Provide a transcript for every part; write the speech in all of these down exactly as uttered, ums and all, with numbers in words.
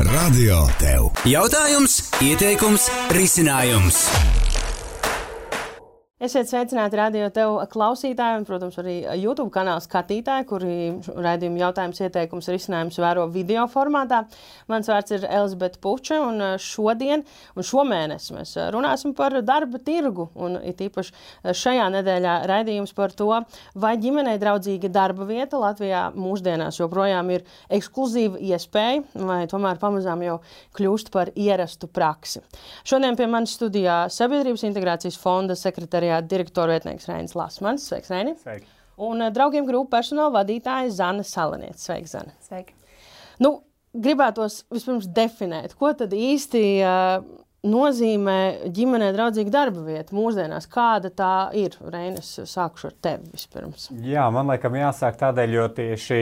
Radio tev. Jautājums, ieteikums, risinājums. Esiet sveicināti Radio tev klausītāji un, protams, arī YouTube kanāla skatītāji, kuri raidījumu jautājums, ieteikums, risinājums vēro video formātā. Mans vārds ir Elizabete Puče, un šodien un šomēnes mēs runāsim par darba tirgu. Un it īpaši šajā nedēļā raidījums par to, vai ģimenei draudzīga darba vieta Latvijā mūsdienās joprojām ir ekskluzīva iespēja, vai tomēr pamazām jau kļūst par ierastu praksi. Šodien pie manis studijā Sabiedrības integrācijas fonda sekretariāta direktora vietnieks Reinis Lasmans. Sveiks, Reini. Sveiki. Un draugiem grupu personāla vadītāja Zana Salaniece. Sveiki, Zana. Sveiki. Nu, gribētos vispirms definēt, ko tad īsti uh, nozīmē ģimenei draudzīga darba vieta mūsdienās. Kāda tā ir? Reinis, sākušu ar tevi vispirms. Jā, man laikam jāsāk tādēļ, jo tieši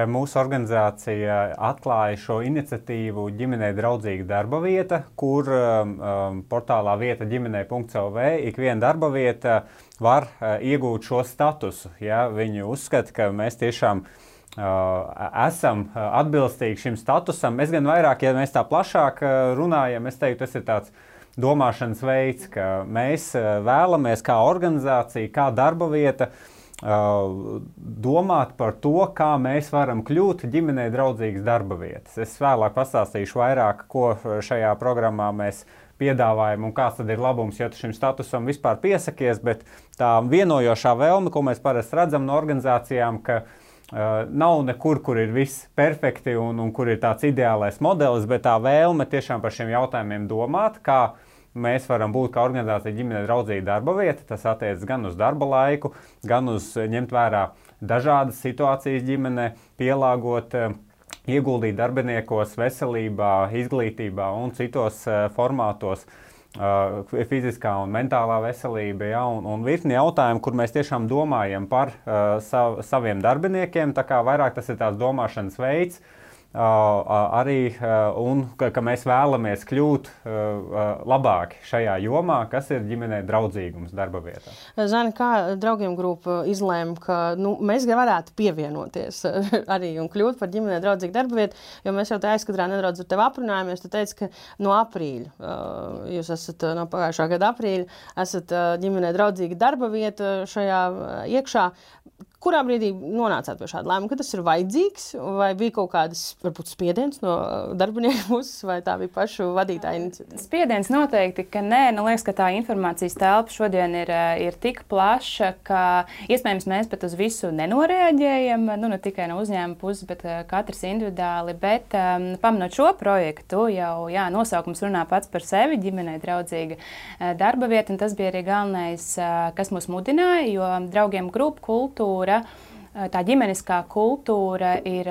mūsu organizācija atklāja šo iniciatīvu ģimenei draudzīga darba vieta, kur um, portālā vieta ģimenei punkt el vē ik viena darba vieta var uh, iegūt šo statusu. Ja? Viņi uzskata, ka mēs tiešām Uh, esam atbilstīgi šim statusam. Es gan vairāk, ja mēs tā plašāk runājam, es teiktu, tas ir tāds domāšanas veids, ka mēs vēlamies kā organizācija, kā darba vieta uh, domāt par to, kā mēs varam kļūt ģimenei draudzīgas darba vietas. Es vēlāk pastāstīšu vairāk, ko šajā programmā mēs piedāvājam un kāds tad ir labums, ja tu šim statusam vispār piesakies, bet tā vienojošā vēlme, ko mēs parasti redzam no organizācijām, ka Uh, nav nekur, kur ir viss perfekti un, un kur ir tāds ideālais modelis, bet tā vēlme tiešām par šiem jautājumiem domāt, kā mēs varam būt kā organizācija ģimenei draudzīga darba vieta. Tas attiecas gan uz darba laiku, gan uz ņemt vērā dažādas situācijas ģimenē, pielāgot, uh, ieguldīt darbiniekos veselībā, izglītībā un citos uh, formātos. Uh, fiziskā un mentālā veselība, ja, un, un virkni jautājumu, kur mēs tiešām domājam par uh, sav, saviem darbiniekiem, tā kā vairāk tas ir tās domāšanas veids, uh, arī, uh, un ka, ka mēs vēlamies kļūt uh, labāki šajā jomā, kas ir ģimenei draudzīgums darba vietā. Zani, kā draugiem grupa izlēma, ka nu, mēs varētu pievienoties arī un kļūt par ģimenei draudzīgu darba vietu, jo mēs jau tā aizkadrā nedaudz ar tevi aprunājamies. Tu teici, ka no aprīļa, uh, jūs esat no pagājušā gada aprīļa, esat uh, ģimenei draudzīga darba vieta šajā uh, iekšā. Kurā brīdī nonācāt pie šāda lēmuma, ka tas ir vajadzīgs, vai bija kaut kādas, varbūt, spiediens no darbinieku puses, vai tā bija pašu vadītāja iniciatīva? Spiediens noteikti, ka nē. Nu, liekas, ka tā informācijas telpa šodien ir, ir tik plaša, ka iespējams mēs pat uz visu nenoreaģējam, nu, ne tikai no uzņēmuma puses, bet katrs individuāli. Bet um, pamanot šo projektu, jau jā, nosaukums runā pats par sevi, ģimenei draudzīga darba vieta, un tas bija arī galvenais, kas mūs mudināja, jo draugiem grupu kultūra, tā ģimeniskā kultūra ir,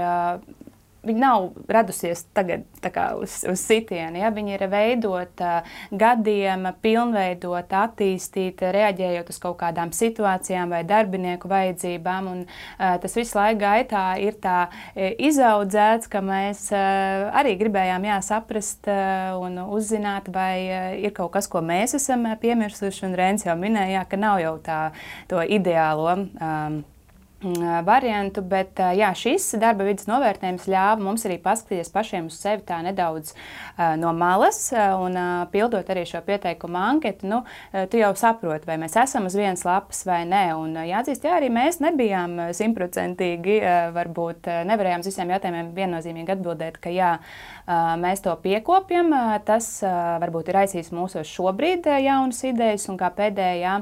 viņa nav radusies tagad tā kā uz, uz sitienu, ja? Viņa ir veidota gadiem, pilnveidota, attīstīta, reaģējot uz kaut kādām situācijām vai darbinieku vajadzībām, un uh, tas visu laiku gaitā ir tā izaudzēts, ka mēs uh, arī gribējām jā, saprast uh, un uzzināt, vai uh, ir kaut kas, ko mēs esam piemirsuši, un Reinis jau minēja, jā, ka nav jau tā to ideālo um, variantu, bet jā, šis darba vidas novērtējums ļāva mums arī paskatīties pašiem uz sevi tā nedaudz uh, no malas un uh, pildot arī šo pieteikumu anketu. Nu, uh, tu jau saproti, vai mēs esam uz vienas lapas vai nē. Un uh, jāatzīst, jā, arī mēs nebijām simtprocentīgi, uh, varbūt uh, nevarējām uz visiem jautājumiem viennozīmīgi atbildēt, ka jā, uh, mēs to piekopjam. Uh, tas uh, varbūt ir aizsīs mūsos šobrīd uh, jaunas idejas, un kā pēdējā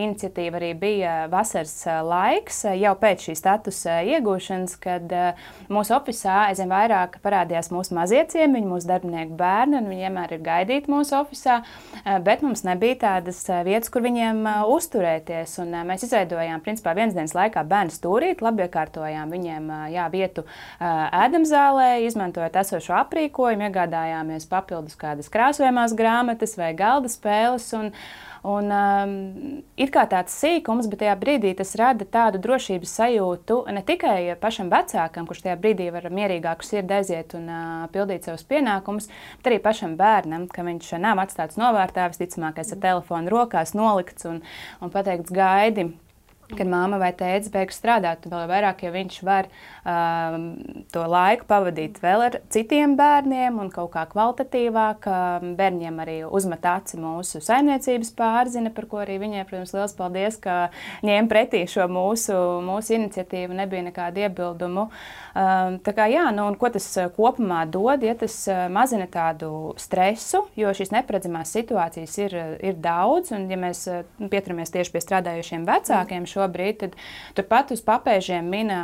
iniciatīva arī bija vasaras uh, laiks, uh, jau pēc pēc šī statusa iegūšanas, kad uh, mūsu ofisā aizvien vairāk parādījās mūsu mazie ciemiņi, mūsu darbinieku bērni, un viņi vienmēr ir gaidīti mūsu ofisā, uh, bet mums nebija tādas uh, vietas, kur viņiem uh, uzturēties. Un, uh, mēs izveidojām, principā, vienas dienas laikā bērnu stūrīti, labi iekārtojām viņiem uh, jā, vietu uh, ēdamzālē, izmantojot esošo aprīkojumu, iegādājāmies papildus kādas krāsojamās grāmatas vai galda spēles. Un, Un, um, ir kā tāds sīkums, bet tajā brīdī tas rada tādu drošības sajūtu ne tikai pašam vecākam, kurš tajā brīdī var mierīgāku sirdi aiziet un uh, pildīt savus pienākumus, bet arī pašam bērnam, ka viņš nav atstāts novārtā, visticamākais ar telefonu rokās nolikts un, un pateikts gaidi. kad māma vai tēvs beigs strādāt, vēl vairāk, ja viņš var um, to laiku pavadīt vēl ar citiem bērniem un kaut kā kvalitatīvāk. Um, bērņiem arī uzmet aci mūsu saimniecības pārzina, par ko arī viņai, protams, liels paldies, ka ņēma pretī šo mūsu, mūsu iniciatīvu, nebija nekādu iebildumu. Um, tā kā jā, nu un ko tas kopumā dod, ja tas mazina tādu stresu, jo šīs neparedzamās situācijas ir, ir daudz, un ja mēs pieturamies tieši pie strādājošiem vecākiem šobrīd, tad turpat uz papēžiem mina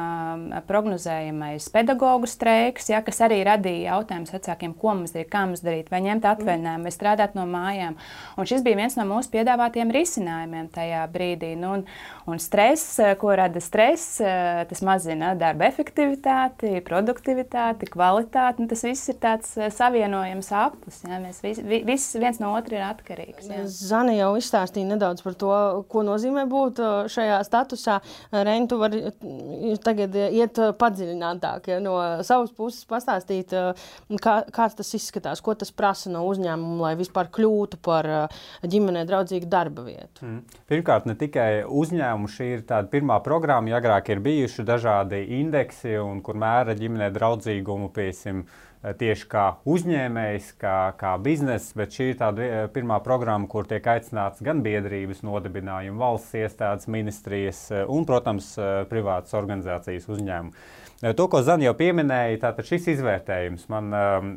prognozējamais pedagogu streiks, ja, kas arī radīja jautājumus vecākiem, ko mums darīt, kā mums darīt, vai ņemt atvaļinājumu, vai strādāt no mājām. Un šis bija viens no mūsu piedāvātiem risinājumiem tajā brīdī. Nu, un, un stress, ko rada stress, tas mazina darba efektivitāti, produktivitāti, kvalitāti. Nu, tas viss ir tāds savienojams aplis. Ja? Mēs vis, viss viens no otra ir atkarīgs. Ja? Zane jau izstāstīja nedaudz par to, ko nozīmē būt šajā statusā. Reini, tu vari tagad iet padziļinātāk, ja? No savas puses pastāstīt, kā, kāds tas izskatās, ko tas prasa no uzņēmuma, lai vispār kļūtu par ģimenei draudzīgu darba vietu. Mm. Pirmkārt, ne tikai uzņēmumu, šī ir tāda pirmā programma, ja agrāk ir bijuši dažādi indeksi, un kur mēra ģimenei draudzīgumu, piesim, tieši kā uzņēmējs, kā, kā bizness, bet šī ir tāda pirmā programma, kur tiek aicināts gan biedrības nodibinājumi, valsts iestādes, ministrijas un, protams, privātas organizācijas uzņēmumi. To, ko Zana jau pieminēja, tātad šis izvērtējums. Man uh,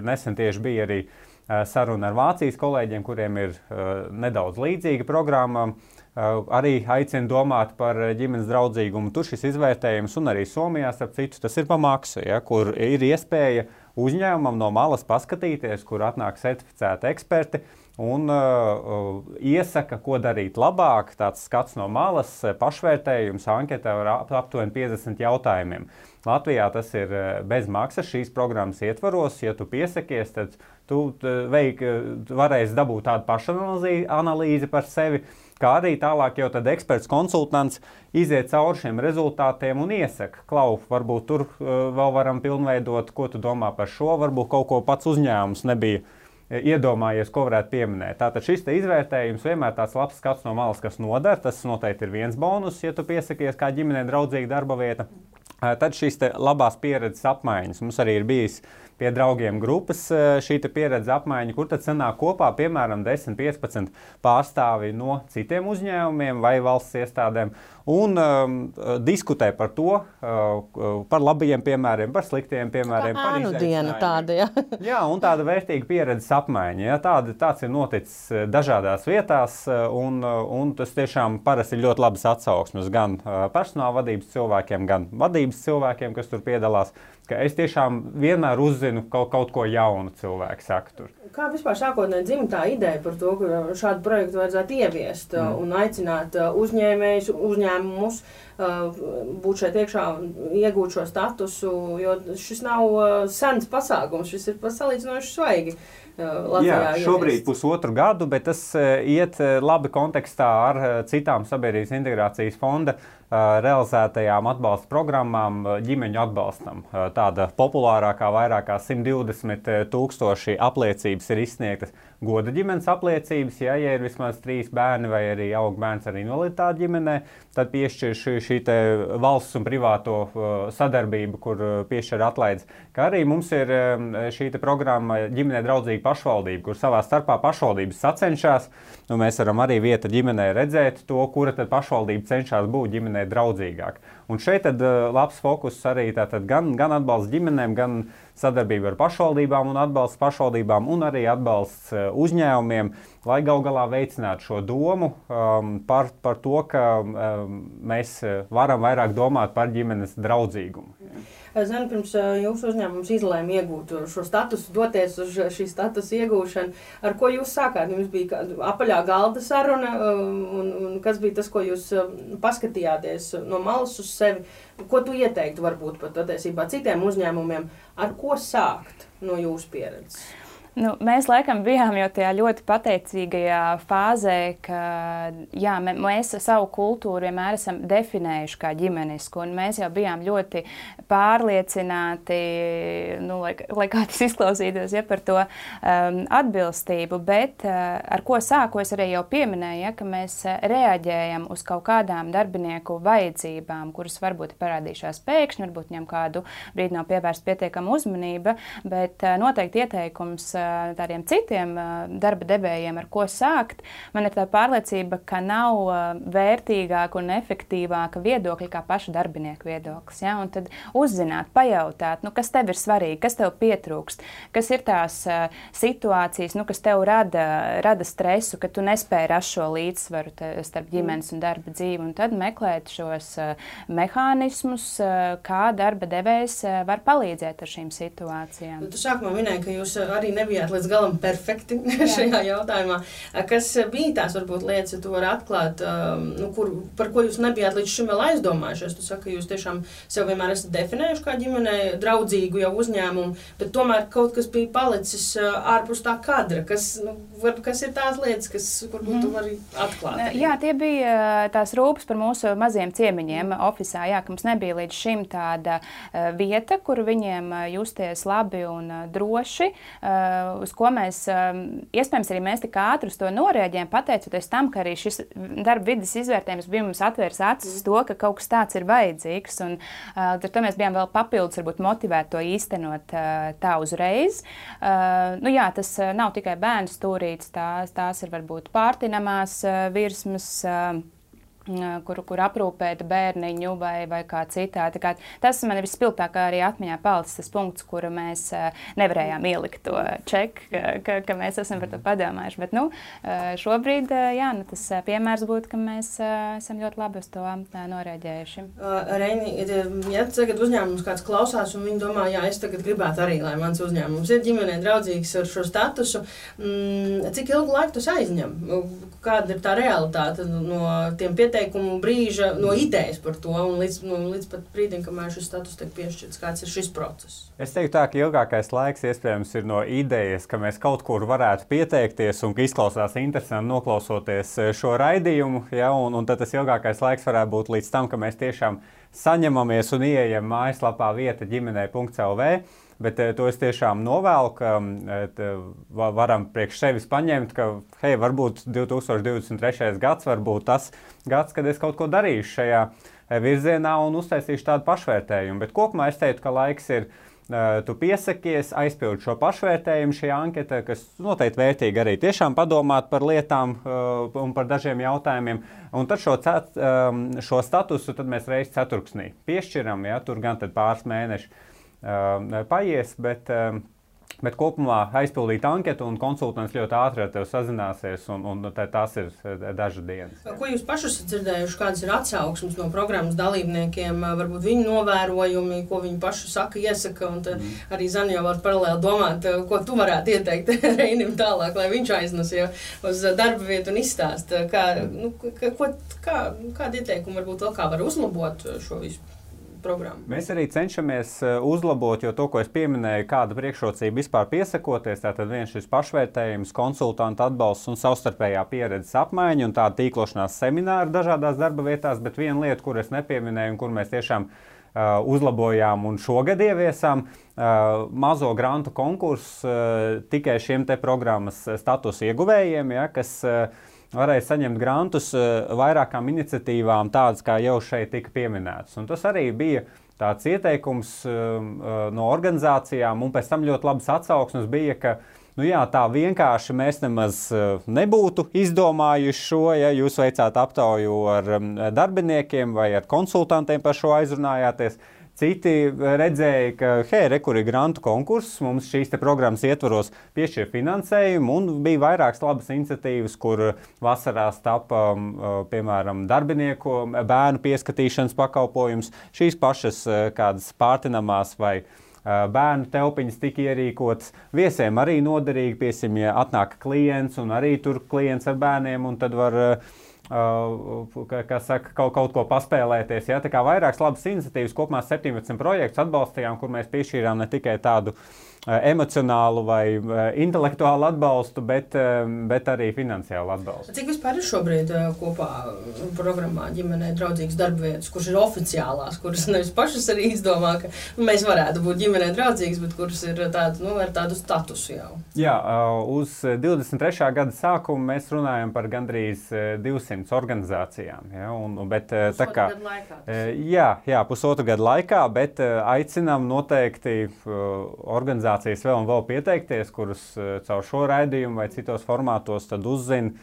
nesen tieši bija arī saruna ar Vācijas kolēģiem, kuriem ir uh, nedaudz līdzīga programma. Uh, arī aicina domāt par ģimenes draudzīgumu. Tur šis izvērtējums, un arī Somijā, starp citu, tas ir pa maksu, ja, kur ir iespēja uzņēmumam no malas paskatīties, kur atnāk certificēti eksperti un uh, iesaka, ko darīt labāk. Tāds skats no malas, pašvērtējums, anketē ar ap, aptuveni piecdesmit jautājumiem. Latvijā tas ir bez maksas šīs programmas ietvaros. Ja tu piesakies, tad tu veik, varēsi dabūt tādu pašanalīzi analīzi par sevi, kā arī tālāk jau tad eksperts konsultants iziet cauri šiem rezultātiem un iesaka, Klau, varbūt tur uh, vēl varam pilnveidot, ko tu domā par šo, varbūt kaut ko pats uzņēmums nebija iedomājies, ko varētu pieminēt. Tātad šis te izvērtējums vienmēr tāds labs skats no malas, kas nodara. Tas noteikti ir viens bonus, ja tu piesakies kā ģimenei draudzīga darba vieta. Tad šīs te labās pieredzes apmaiņas. Mums arī ir bijis pie draugiem grupas šī te pieredzes apmaiņa, kur tad sanāk kopā, piemēram, desmit piecpadsmit pārstāvi no citiem uzņēmumiem vai valsts iestādēm un um, diskutē par to, uh, par labajiem piemēriem, par sliktiem piemēriem. Kā ēnu diena tāda, ja? Jā, un tāda vērtīga pieredzes apmaiņa. Ja? Tāda, tāds ir noticis dažādās vietās, un, un tas tiešām parasti ir ļoti labas atsauksmes gan personāla vadības cilvēkiem, gan vadības cilvēkiem, kas tur piedalās. Ka es tiešām vienmēr uzzinu kaut, kaut ko jaunu cilvēku saka tur. Kā vispār sākotnēji dzima tā ideja par to, ka šādu projektu vajadzētu ieviest mm. un aicināt uzņēmējus, uzņēmumus būt šeit iekšā un iegūt šo statusu, jo šis nav sens pasākums, šis ir salīdzinoši svaigi. Latvijā Jā, šobrīd ieviest. Pusotru gadu, bet tas iet labi kontekstā ar citām sabiedrības integrācijas fonda realizētajām atbalsta programmām ģimeņu atbalstam. Tāda populārākā vairāk kā simt divdesmit tūkstoši apliecības ir izsniegtas goda ģimenes apliecības, ja, ja ir vismaz trīs bērni vai arī aug bērns ar invaliditāti ģimenē, tad piešķir šī, šī te valsts un privāto sadarbību, kur piešķir atlaides. Kā arī mums ir šī te programma ģimenē draudzīga pašvaldība, kur savā starpā pašvaldības sacenšās, un mēs varam arī vieta ģimenē redzēt to, kura tad pašvaldība cenšas būt ģimenē draudzīgāk. Un šeit tad labs fokus arī tātad gan, gan atbalsts ģimenēm, gan sadarbība ar pašvaldībām un atbalsts pašvaldībām un arī atbalsts uzņēmumiem, lai gal galā veicinātu šo domu um, par, par to, ka um, mēs varam vairāk domāt par ģimenes draudzīgumu. Zinu, pirms jūsu uzņēmums izlēma iegūt šo statusu, doties uz šī statusa iegūšanu, ar ko jūs sākāt? Jums bija apaļā galda saruna, un, un kas bija tas, ko jūs paskatījāties no malas uz sevi? Ko tu ieteiktu varbūt pat attiecībā citiem uzņēmumiem? Ar ko sākt no jūsu pieredzes? Nu, mēs laikam bijām jau tajā ļoti pateicīgajā fāzē, ka jā, mēs savu kultūru vienmēr esam definējuši kā ģimenisku, un mēs jau bijām ļoti pārliecināti, nu, lai, lai kā tas izklausītos, ja, par to um, atbilstību, bet uh, ar ko sāku es arī jau pieminēju, ja, ka mēs reaģējam uz kaut kādām darbinieku vajadzībām, kuras varbūt parādījušās pēkšņi, varbūt viņam kādu brīdi nav pievērsta pietiekama uzmanība, bet uh, noteikti ieteikums tādiem citiem darba devējiem, ar ko sākt, man ir tā pārliecība, ka nav vērtīgāka un efektīvāka viedokļa kā paša darbinieka viedoklis. Ja? Un tad uzzināt, pajautāt, nu, kas tev ir svarīgi, kas tev pietrūkst, kas ir tās situācijas, nu, kas tev rada, rada stresu, ka tu nespēji rast šo līdzsvaru starp ģimenes un darba dzīvi, un tad meklēt šos mehānismus, kā darba devējs var palīdzēt ar šīm situācijām. Tu sākumā minēji, ka jūs arī nebijāt līdz galam perfekti šajā jautājumā. Kas bija tās, varbūt, lietas, ja tu vari atklāt, nu, kur, par ko jūs nebijāt līdz šim vēl aizdomājušies? Tu saki, ka jūs tiešām sev vienmēr esat definējuši kā ģimenei draudzīgu jau uzņēmumu, bet tomēr kaut kas bija palicis ārpus tā kadra. Kas, nu, var, kas ir tās lietas, kas, varbūt, tu vari atklāt? Arī? Jā, tie bija tās rūpes par mūsu maziem ciemiņiem ofisā, jā, ka mums nebija līdz šim tāda vieta, kur viņiem justies labi un droši, uz ko mēs, iespējams, arī mēs tik ātri uz to norēģējam, pateicoties tam, ka arī šis darba vides izvērtējums bija mums atvērs acis uz to, ka kaut kas tāds ir vajadzīgs, un ar to mēs bijām vēl papildus, varbūt motivēti to īstenot tā uzreiz. Nu jā, tas nav tikai bērnu stūrītes, tās, tās ir varbūt pārtinamās virsmas, Kur, kur aprūpēt bērniņu vai, vai kā citādi. Kā tas man ir vispilgtāk arī atmiņā palicis tas punkts, kuru mēs nevarējām ielikt to čeku, ka, ka mēs esam par to padomājuši. Bet nu, šobrīd jā, nu, tas piemērs būtu, ka mēs esam ļoti labi uz to norēģējuši. Reini, ja tagad uzņēmums kāds klausās un viņi domā, jā, es tagad gribētu arī, lai mans uzņēmums ir ģimenei draudzīgs ar šo statusu, cik ilgu laiku tas aizņem? Kāda ir tā realitāte no tiem pieteikumu brīža, no idejas par to un līdz, no, līdz pat brīdim, kamēr šis status tiek piešķirts? Kāds ir šis process? Es teiktu tā, ka ilgākais laiks iespējams ir no idejas, ka mēs kaut kur varētu pieteikties un ka izklausās interesanti noklausoties šo raidījumu, ja, un, un tad tas ilgākais laiks varētu būt līdz tam, ka mēs tiešām saņemamies un ieejam mājaslapā vieta ģimenei punkts el vē. Bet to es tiešām novēlu, ka varam priekš sevis paņemt, ka, hei, varbūt divi tūkstoši divdesmit trešais gads var būt tas gads, kad es kaut ko darīšu šajā virzienā un uztaisīšu tādu pašvērtējumu. Bet kopumā es teiktu, ka laiks ir, tu piesakies, aizpild šo pašvērtējumu šajā anketā, kas noteikti vērtīgi arī tiešām padomāt par lietām un par dažiem jautājumiem. Un tad šo, cet, šo statusu tad mēs reiz ceturksnī piešķiram, ja, tur gan tad pāris mēneši paies, bet, bet kopumā aizpildīt anketu un konsultants ļoti ātri ar tevi sazināsies, un, un tās ir dažas dienas. Ko jūs paši esat dzirdējuši, kādas ir atsauksmes no programmas dalībniekiem, varbūt viņu novērojumi, ko viņi paši saka, iesaka, un tad mm. arī Zani jau var paralēli domāt, ko tu varētu ieteikt Reinim tālāk, lai viņš aiznes jau uz darba vietu un izstāst, kā, nu, ko, kā, kādi ieteikumi varbūt vēl kā var uzlabot šo visu programmu. Mēs arī cenšamies uzlabot, jo to, ko es pieminēju, kāda priekšrocība vispār piesakoties, tātad viens šis pašvērtējums, konsultanta atbalsts un savstarpējā pieredzes apmaiņa un tāda tīklošanās semināri dažādās darba vietās, bet viena lieta, kur es nepieminēju un kur mēs tiešām uh, uzlabojām un šogad ieviesām, uh, mazo grantu konkursu uh, tikai šiem te programmas statusu ieguvējiem, ja, kas uh, varēja saņemt grantus vairākām iniciatīvām, tādas, kā jau šeit tika pieminētas. Un tas arī bija tāds ieteikums no organizācijām, un pēc tam ļoti labas atsauksmes bija, ka nu jā, tā vienkārši mēs nemaz nebūtu izdomājuši šo, ja jūs veicāt aptauju ar darbiniekiem vai ar konsultantiem par šo aizrunājāties. Citi redzēja, ka, hei, re, kur ir grantu konkurss, mums šīs te programmas ietvaros piešķir finansējumu, un bija vairākas labas iniciatīvas, kur vasarās tapa, piemēram, darbinieku bērnu pieskatīšanas pakalpojums, šīs pašas kādas pārtinamās vai bērnu telpiņas tika ierīkotas. Viesiem arī noderīgi, piesim, ja atnāk klients, un arī tur klients ar bērniem, un tad var Uh, kā saka, kaut, kaut ko paspēlēties. Ja? Tā kā vairākas labas iniciatīvas, kopumā septiņpadsmit projektus atbalstījām, kur mēs piešķīrām ne tikai tādu emocionālu vai intelektuālu atbalstu, bet, bet arī finansiālu atbalstu. Cik vispār ir šobrīd kopā programmā ģimenei draudzīgas darbvietas, kuras ir oficiālās, kuras nevis pašas arī izdomā, ka mēs varētu būt ģimenei draudzīgas, bet kuras ir tādu, nu, ar tādu statusu jau? Jā, uz divdesmit trešā gada sākumu mēs runājam par gandrīz divsimt organizācijām. Ja, un, bet, tā kā, gadu laikā? Jā, jā, pusotru gadu laikā, bet aicinām noteikti organizācijas vēl un vēl pieteikties, kurus caur šo raidījumu vai citos formātos tad uzzina.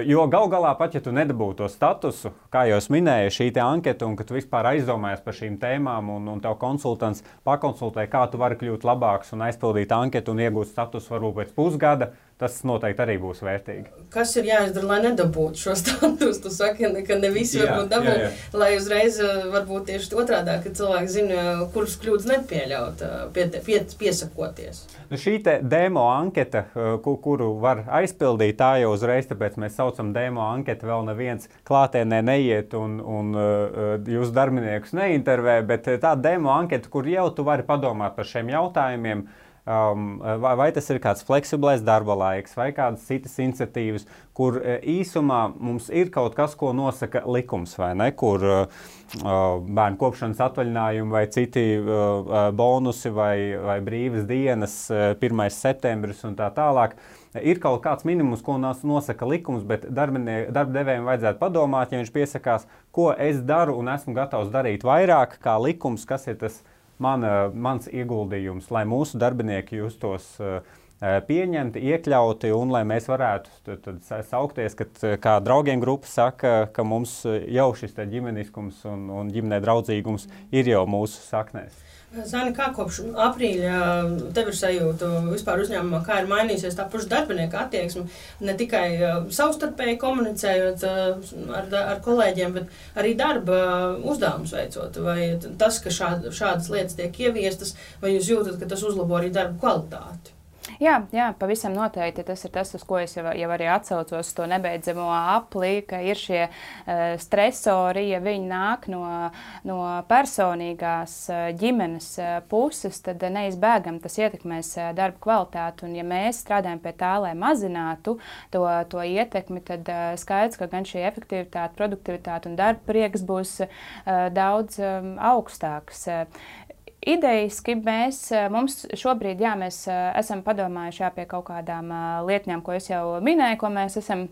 Jo gal galā pat, ja tu nedabūtu to statusu, kā jau es minēju, šī te anketa, un ka tu vispār aizdomājies par šīm tēmām, un, un tev konsultants pakonsultē, kā tu vari kļūt labāks un aizpildīt anketu un iegūt statusu varbūt pēc pusgada, tas noteikti arī būs vērtīgi. Kas ir jāizdara, lai nedabūtu šo statusu? Tu saki, ka ne visi varbūt dabū, jā, jā. Lai uzreiz varbūt tieši otrādā, ka cilvēki zina, kuras kļūdas nepieļaut, pie, pie, piesakoties. Nu, šī te demo anketa, kuru var aizpildīt, tā jau uzreiz, tāpēc mēs saucam demo anketu, vēl neviens klātienē neiet un, un jūs darbiniekus neintervē, bet tā demo anketa, kur jau tu vari padomāt par šiem jautājumiem, Um, vai, vai tas ir kāds fleksiblais darba laiks, vai kādas citas iniciatīvas, kur uh, īsumā mums ir kaut kas, ko nosaka likums, vai ne, kur uh, bērnu kopšanas atvaļinājumi vai citi uh, bonusi vai, vai brīvas dienas, uh, pirmais septembris un tā tālāk. Ir kaut kāds minimums, ko nosaka likums, bet darbdevējiem vajadzētu padomāt, ja viņš piesakās, ko es daru un esmu gatavs darīt vairāk kā likums, kas ir tas Man, mans ieguldījums, lai mūsu darbinieki justos uh, pieņemti, iekļauti un lai mēs varētu tad, tad saukties, kad kā draugiem grupa saka, ka mums jau šis ģimeniskums un, un ģimenē draudzīgums ir jau mūsu saknēs. Zani, kā kopš aprīļa tev ir sajūta vispār uzņēmumā, kā ir mainīsies tā paša darbinieka attieksme, ne tikai savstarpēji komunicējot ar, ar kolēģiem, bet arī darba uzdevumus veicot? Vai tas, ka šād, šādas lietas tiek ieviestas, vai jūs jūtat, ka tas uzlabo arī darba kvalitāti? Jā, jā, pavisam noteikti. Tas ir tas, uz ko es jau, jau arī atsaucos, to nebeidzamo apli, ka ir šie uh, stresori, ja viņi nāk no, no personīgās uh, ģimenes uh, puses, tad uh, neizbēgam tas ietekmēs uh, darba kvalitāti. Un ja mēs strādājam pie tā, lai mazinātu to, to ietekmi, tad uh, skaidrs, ka gan šī efektivitāte, produktivitāte un darba prieks būs uh, daudz um, augstāks. Uh, Idejiski mēs, mums šobrīd, jā, mēs esam padomājuši jā, pie kaut kādām lietņām, ko es jau minēju, ko mēs esam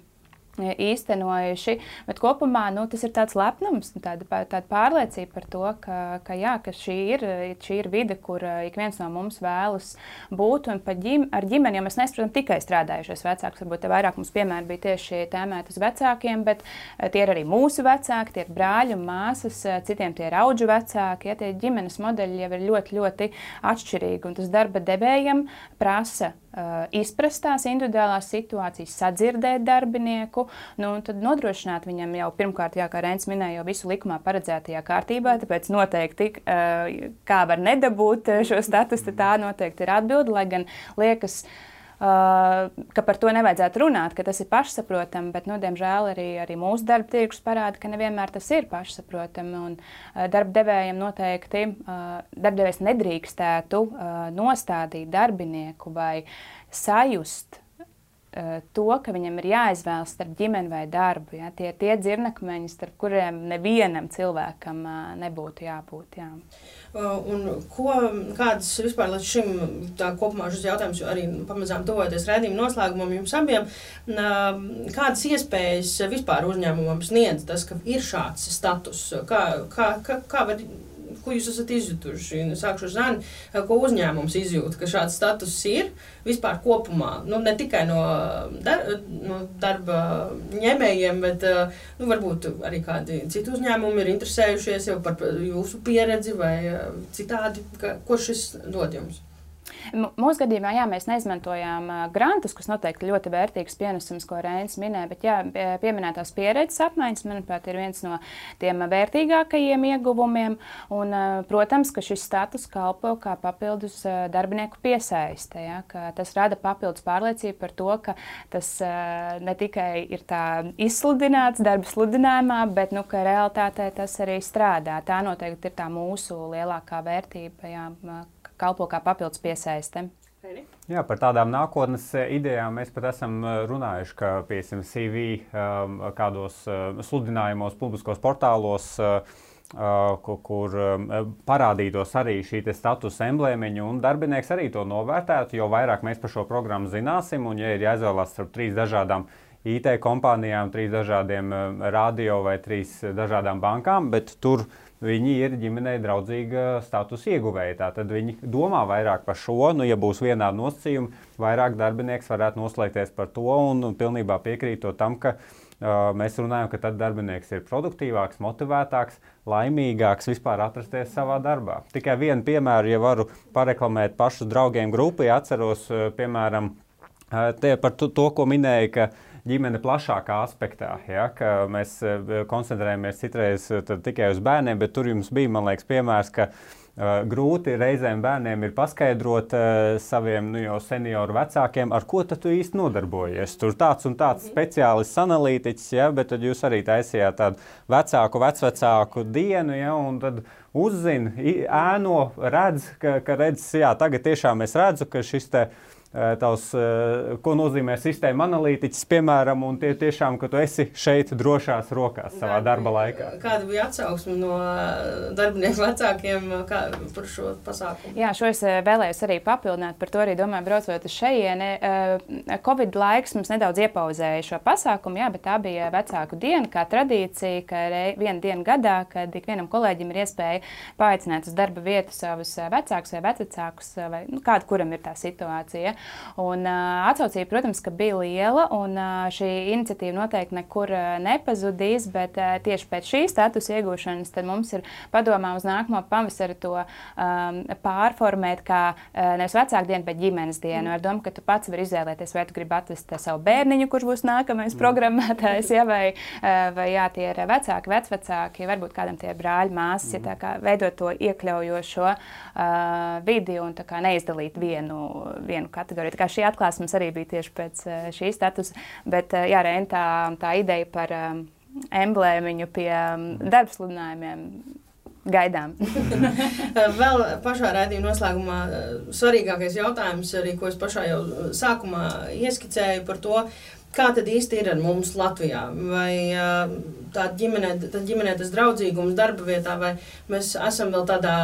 īstenojuši, bet kopumā nu, tas ir tāds lepnums, tāda, tāda pārliecība par to, ka, ka, jā, ka šī, ir, šī ir vide, kur ik viens no mums vēlas būt, un ģim, ar ģimeni, jo mēs nesaprotam tikai strādājušies vecākus, varbūt te vairāk mums piemēri bija tieši tēmēt uz vecākiem, bet tie ir arī mūsu vecāki, tie ir brāļi un māsas, citiem tie ir audžu vecāki, ja, tie ģimenes modeļi jau ir ļoti, ļoti atšķirīgi, un tas darba devējam prasa uh, izprast tās individuālās situācijas, sadzirdēt darbinieku, nu, un tad nodrošināt viņam jau pirmkārt, jā, kā Reinis minēja, jau visu likumā paredzētajā kārtībā, tāpēc noteikti, uh, kā var nedabūt šo statusu, tā noteikti ir atbilde, lai gan liekas, uh, ka par to nevajadzētu runāt, ka tas ir pašsaprotami, bet, nu, diemžēl arī, arī mūsu darba tirgus parāda, ka nevienmēr tas ir pašsaprotami, un uh, darba devējiem noteikti, uh, darbdevējs nedrīkstētu uh, nostādīt darbinieku vai sajust to, ka viņam ir jāizvēlas starp ģimeni vai darbu. Ja? Tie ir tie dzirnakmeņi, starp kuriem nevienam cilvēkam nebūtu jābūt. Jā. Un ko, kādas vispār līdz šim, tā kopumā šis jautājums arī pamazām tuvojoties raidījuma noslēgumam jums abiem, kādas iespējas vispār uzņēmumam sniedz tas, ka ir šāds status? Kā, kā, kā, kā var... Ko jūs esat izjutuši? Sākšu ar Zani, ko uzņēmums izjūt, ka šāds status ir vispār kopumā? Nu, ne tikai no, dar, no darba ņēmējiem, bet nu, varbūt arī kādi citi uzņēmumi ir interesējušies jau par jūsu pieredzi vai citādi, ka, ko šis dod jums? Mūsu gadījumā, jā, mēs neizmantojām grantus, kas noteikti ļoti vērtīgs pienesums, ko Reinis minēja, bet jā, pieminētās pieredzes apmaiņas, manuprāt, ir viens no tiem vērtīgākajiem ieguvumiem, un, protams, ka šis status kalpo kā papildus darbinieku piesaiste, ja, ka tas rada papildus pārliecību par to, ka tas ne tikai ir tā izsludināts darba sludinājumā, bet, nu, ka realitātē tas arī strādā. Tā noteikti ir tā mūsu lielākā vērtība, jā, kalpo kā papildus piesaiste. Jā, par tādām nākotnes idejām mēs pat esam runājuši, ka, piemēram, C V um, kādos uh, sludinājumos, publiskos portālos, uh, kur, kur um, parādītos arī šī status emblēmiņa, un darbinieks arī to novērtētu, jo vairāk mēs par šo programmu zināsim, un ja ir jāizvēlās starp trīs dažādām I T kompānijām, trīs dažādiem um, radio vai trīs dažādām bankām, bet tur viņi ir ģimenei draudzīga status ieguvēja. Tātad viņi domā vairāk par šo, nu, ja būs vienādi nosacījumi, vairāk darbinieks varētu noslēgties par to un, un pilnībā piekrītot tam, ka uh, mēs runājam, ka tad darbinieks ir produktīvāks, motivētāks, laimīgāks vispār atrasties savā darbā. Tikai vienu piemēru, ja varu pareklamēt pašus draugiem grupu, ja atceros, uh, piemēram, uh, te par to, to, ko minēja, ka ģimene plašākā aspektā, ja, ka mēs koncentrējamies citreiz tikai uz bērniem, bet tur jums bija, man liekas, piemērs, ka uh, grūti reizēm bērniem ir paskaidrot uh, saviem nu, jau senioru vecākiem, ar ko tad tu īsti nodarbojies. Tur tāds un tāds speciālists analītiķis, ja, bet tad jūs arī taisījāt tādu vecāku, vecvecāku dienu, ja, un tad uzzina, ēno, redz, ka, ka redz, jā, tagad tiešām es redzu, ka šis te tavs, ko nozīmē sistēma analītiķis, piemēram, un tie tiešām, ka tu esi šeit drošās rokās savā darba laikā. Kāda bija atsauksme no darbinieku vecākiem kā, par šo pasākumu? Jā, šo es vēlējos arī papildināt, par to arī domāju, braucot uz šejieni. Covid laiks mums nedaudz iepauzēja šo pasākumu, jā, bet tā bija vecāku diena, kā tradīcija, ka viena diena gadā, kad ikvienam kolēģim ir iespēja paaicināt uz darba vietu savus vecākus vai vecvecākus, vai nu, kāda kuram ir tā situācija. Un, uh, atsaucība, protams, ka bija liela, un uh, šī iniciatīva noteikti nekur uh, nepazudīs, bet uh, tieši pēc šī statusa iegūšanas tad mums ir padomā uz nākamo pavasari to um, pārformēt kā uh, nevis vecāku dienu, bet ģimenes dienu. Ar domu, ka tu pats vari izvēlēties, vai tu gribi atvest savu bērniņu, kurš būs nākamais programmētājs, ja, vai, uh, vai jā, tie ir vecāki, vecvecāki, varbūt kādam tie ir brāļi, māsas, ja, tā kā veidot to iekļaujošo uh, vidi un tā kā neizdalīt vienu, vienu kategoriju. Tā kā šī atklāsme mums arī bija tieši pēc šī statusa, bet jā, Reina, tā, tā ideja par um, emblēmiņu pie um, darbsludinājumiem gaidām. Vēl pašā raidījuma noslēgumā svarīgākais jautājums, arī, ko es pašā jau sākumā ieskicēju par to, kā tad īsti ir ar mums Latvijā? Vai tā ģimenē, tā ģimenē tas draudzīgums darba vietā, vai mēs esam vēl tādā,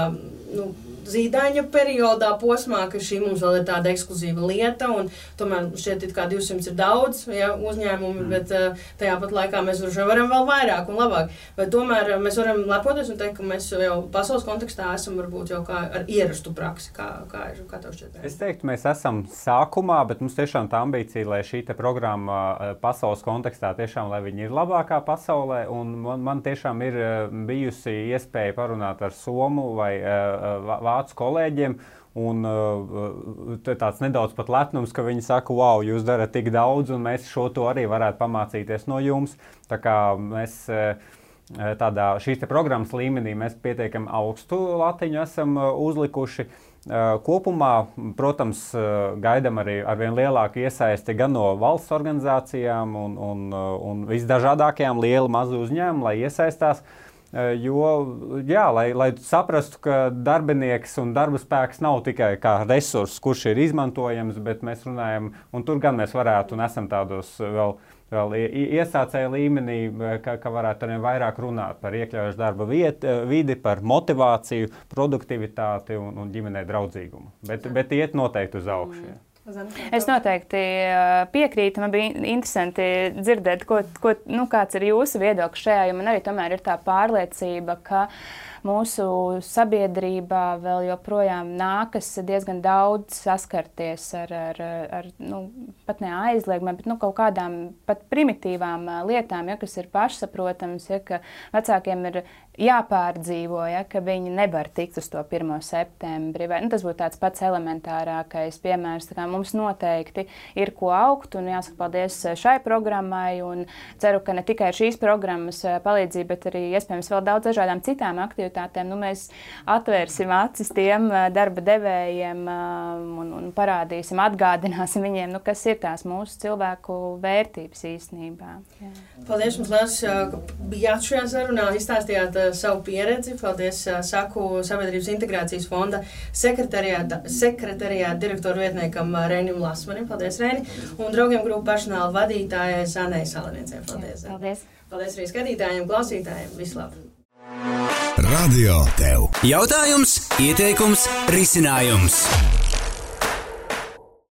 nu, zīdaiņa periodā posmā, ka šī mums vēl ir tāda ekskluzīva lieta, un tomēr šķiet it kā divsimt ir daudz, ja, uzņēmumi, mm. bet uh, tajā pat laikā mēs varam vēl vairāk un labāk. Vai tomēr mēs varam lepoties un teikt, ka mēs jau pasaules kontekstā esam varbūt jau kā ar ierastu praksi, kā, kā, ir, kā tev šķiet? Es teiktu, mēs esam sākumā, bet mums tiešām tā ambīcija, lai šī te programma pasaules kontekstā tiešām, lai viņi ir labākā pasaulē, un man, man tiešām ir bijusi iespēja parunāt ar somu vai uh, vācu kolēģiem, un uh, tāds nedaudz pat lepnums, ka viņi saka, wow, jūs darat tik daudz, un mēs šo to arī varētu pamācīties no jums. Tā kā mēs uh, tādā šīs te programmas līmenī mēs pietiekami augstu latiņu esam uh, uzlikuši. Uh, kopumā, protams, uh, gaidam arī arvien lielāku iesaisti gan no valsts organizācijām un, un, uh, un visdažādākajām lielu mazu uzņēmumu, lai iesaistās. Jo, jā, lai, lai saprastu, ka darbinieks un darba spēks nav tikai kā resurss, kurš ir izmantojams, bet mēs runājam, un tur gan mēs varētu un esam tādos vēl, vēl iesācēju līmenī, ka, ka varētu arī vairāk runāt par iekļaujošu darba vietu, vidi, par motivāciju, produktivitāti un, un ģimenei draudzīgumu. Bet, bet iet noteikti uz augšu. Jā. Es noteikti piekrītu. Man bija interesanti dzirdēt, ko, ko, nu, kāds ir jūsu viedoklis šajā, jo man arī tomēr ir tā pārliecība, ka mūsu sabiedrībā vēl joprojām nākas diezgan daudz saskarties ar, ar, ar nu, pat ne aizliegumiem, bet nu, kaut kādām pat primitīvām lietām, ja, kas ir pašsaprotams, ja, ka vecākiem ir jāpārdzīvo, ja, ka viņi nevar tikt uz to pirmo septembri. Vai, nu, tas būtu tāds pats elementārākais piemērs. Tā kā mums noteikti ir ko augt, un jāsaka paldies šai programmai, un ceru, ka ne tikai šīs programmas palīdzība, bet arī iespējams vēl daudz dažādām citām aktivitātēm prioritātēm, nu, mēs atvērsim acis tiem darba devējiem un, un parādīsim, atgādināsim viņiem, nu, kas ir tās mūsu cilvēku vērtības īstenībā. Jā. Paldies jums, liels, ka bijāt šajā sarunā, izstāstījāt savu pieredzi. Paldies, saku Sabiedrības integrācijas fonda sekretariāta, sekretariāta direktoru vietniekam Reinim Lasmanim. Paldies, Reini. Un draugiem grupu personāla vadītājai Zanei Saliniecei. Paldies. Jā, paldies. Paldies arī skatītājiem, klausītājiem. Vislabāk. Radio tev. Jautājums, ieteikums, risinājums.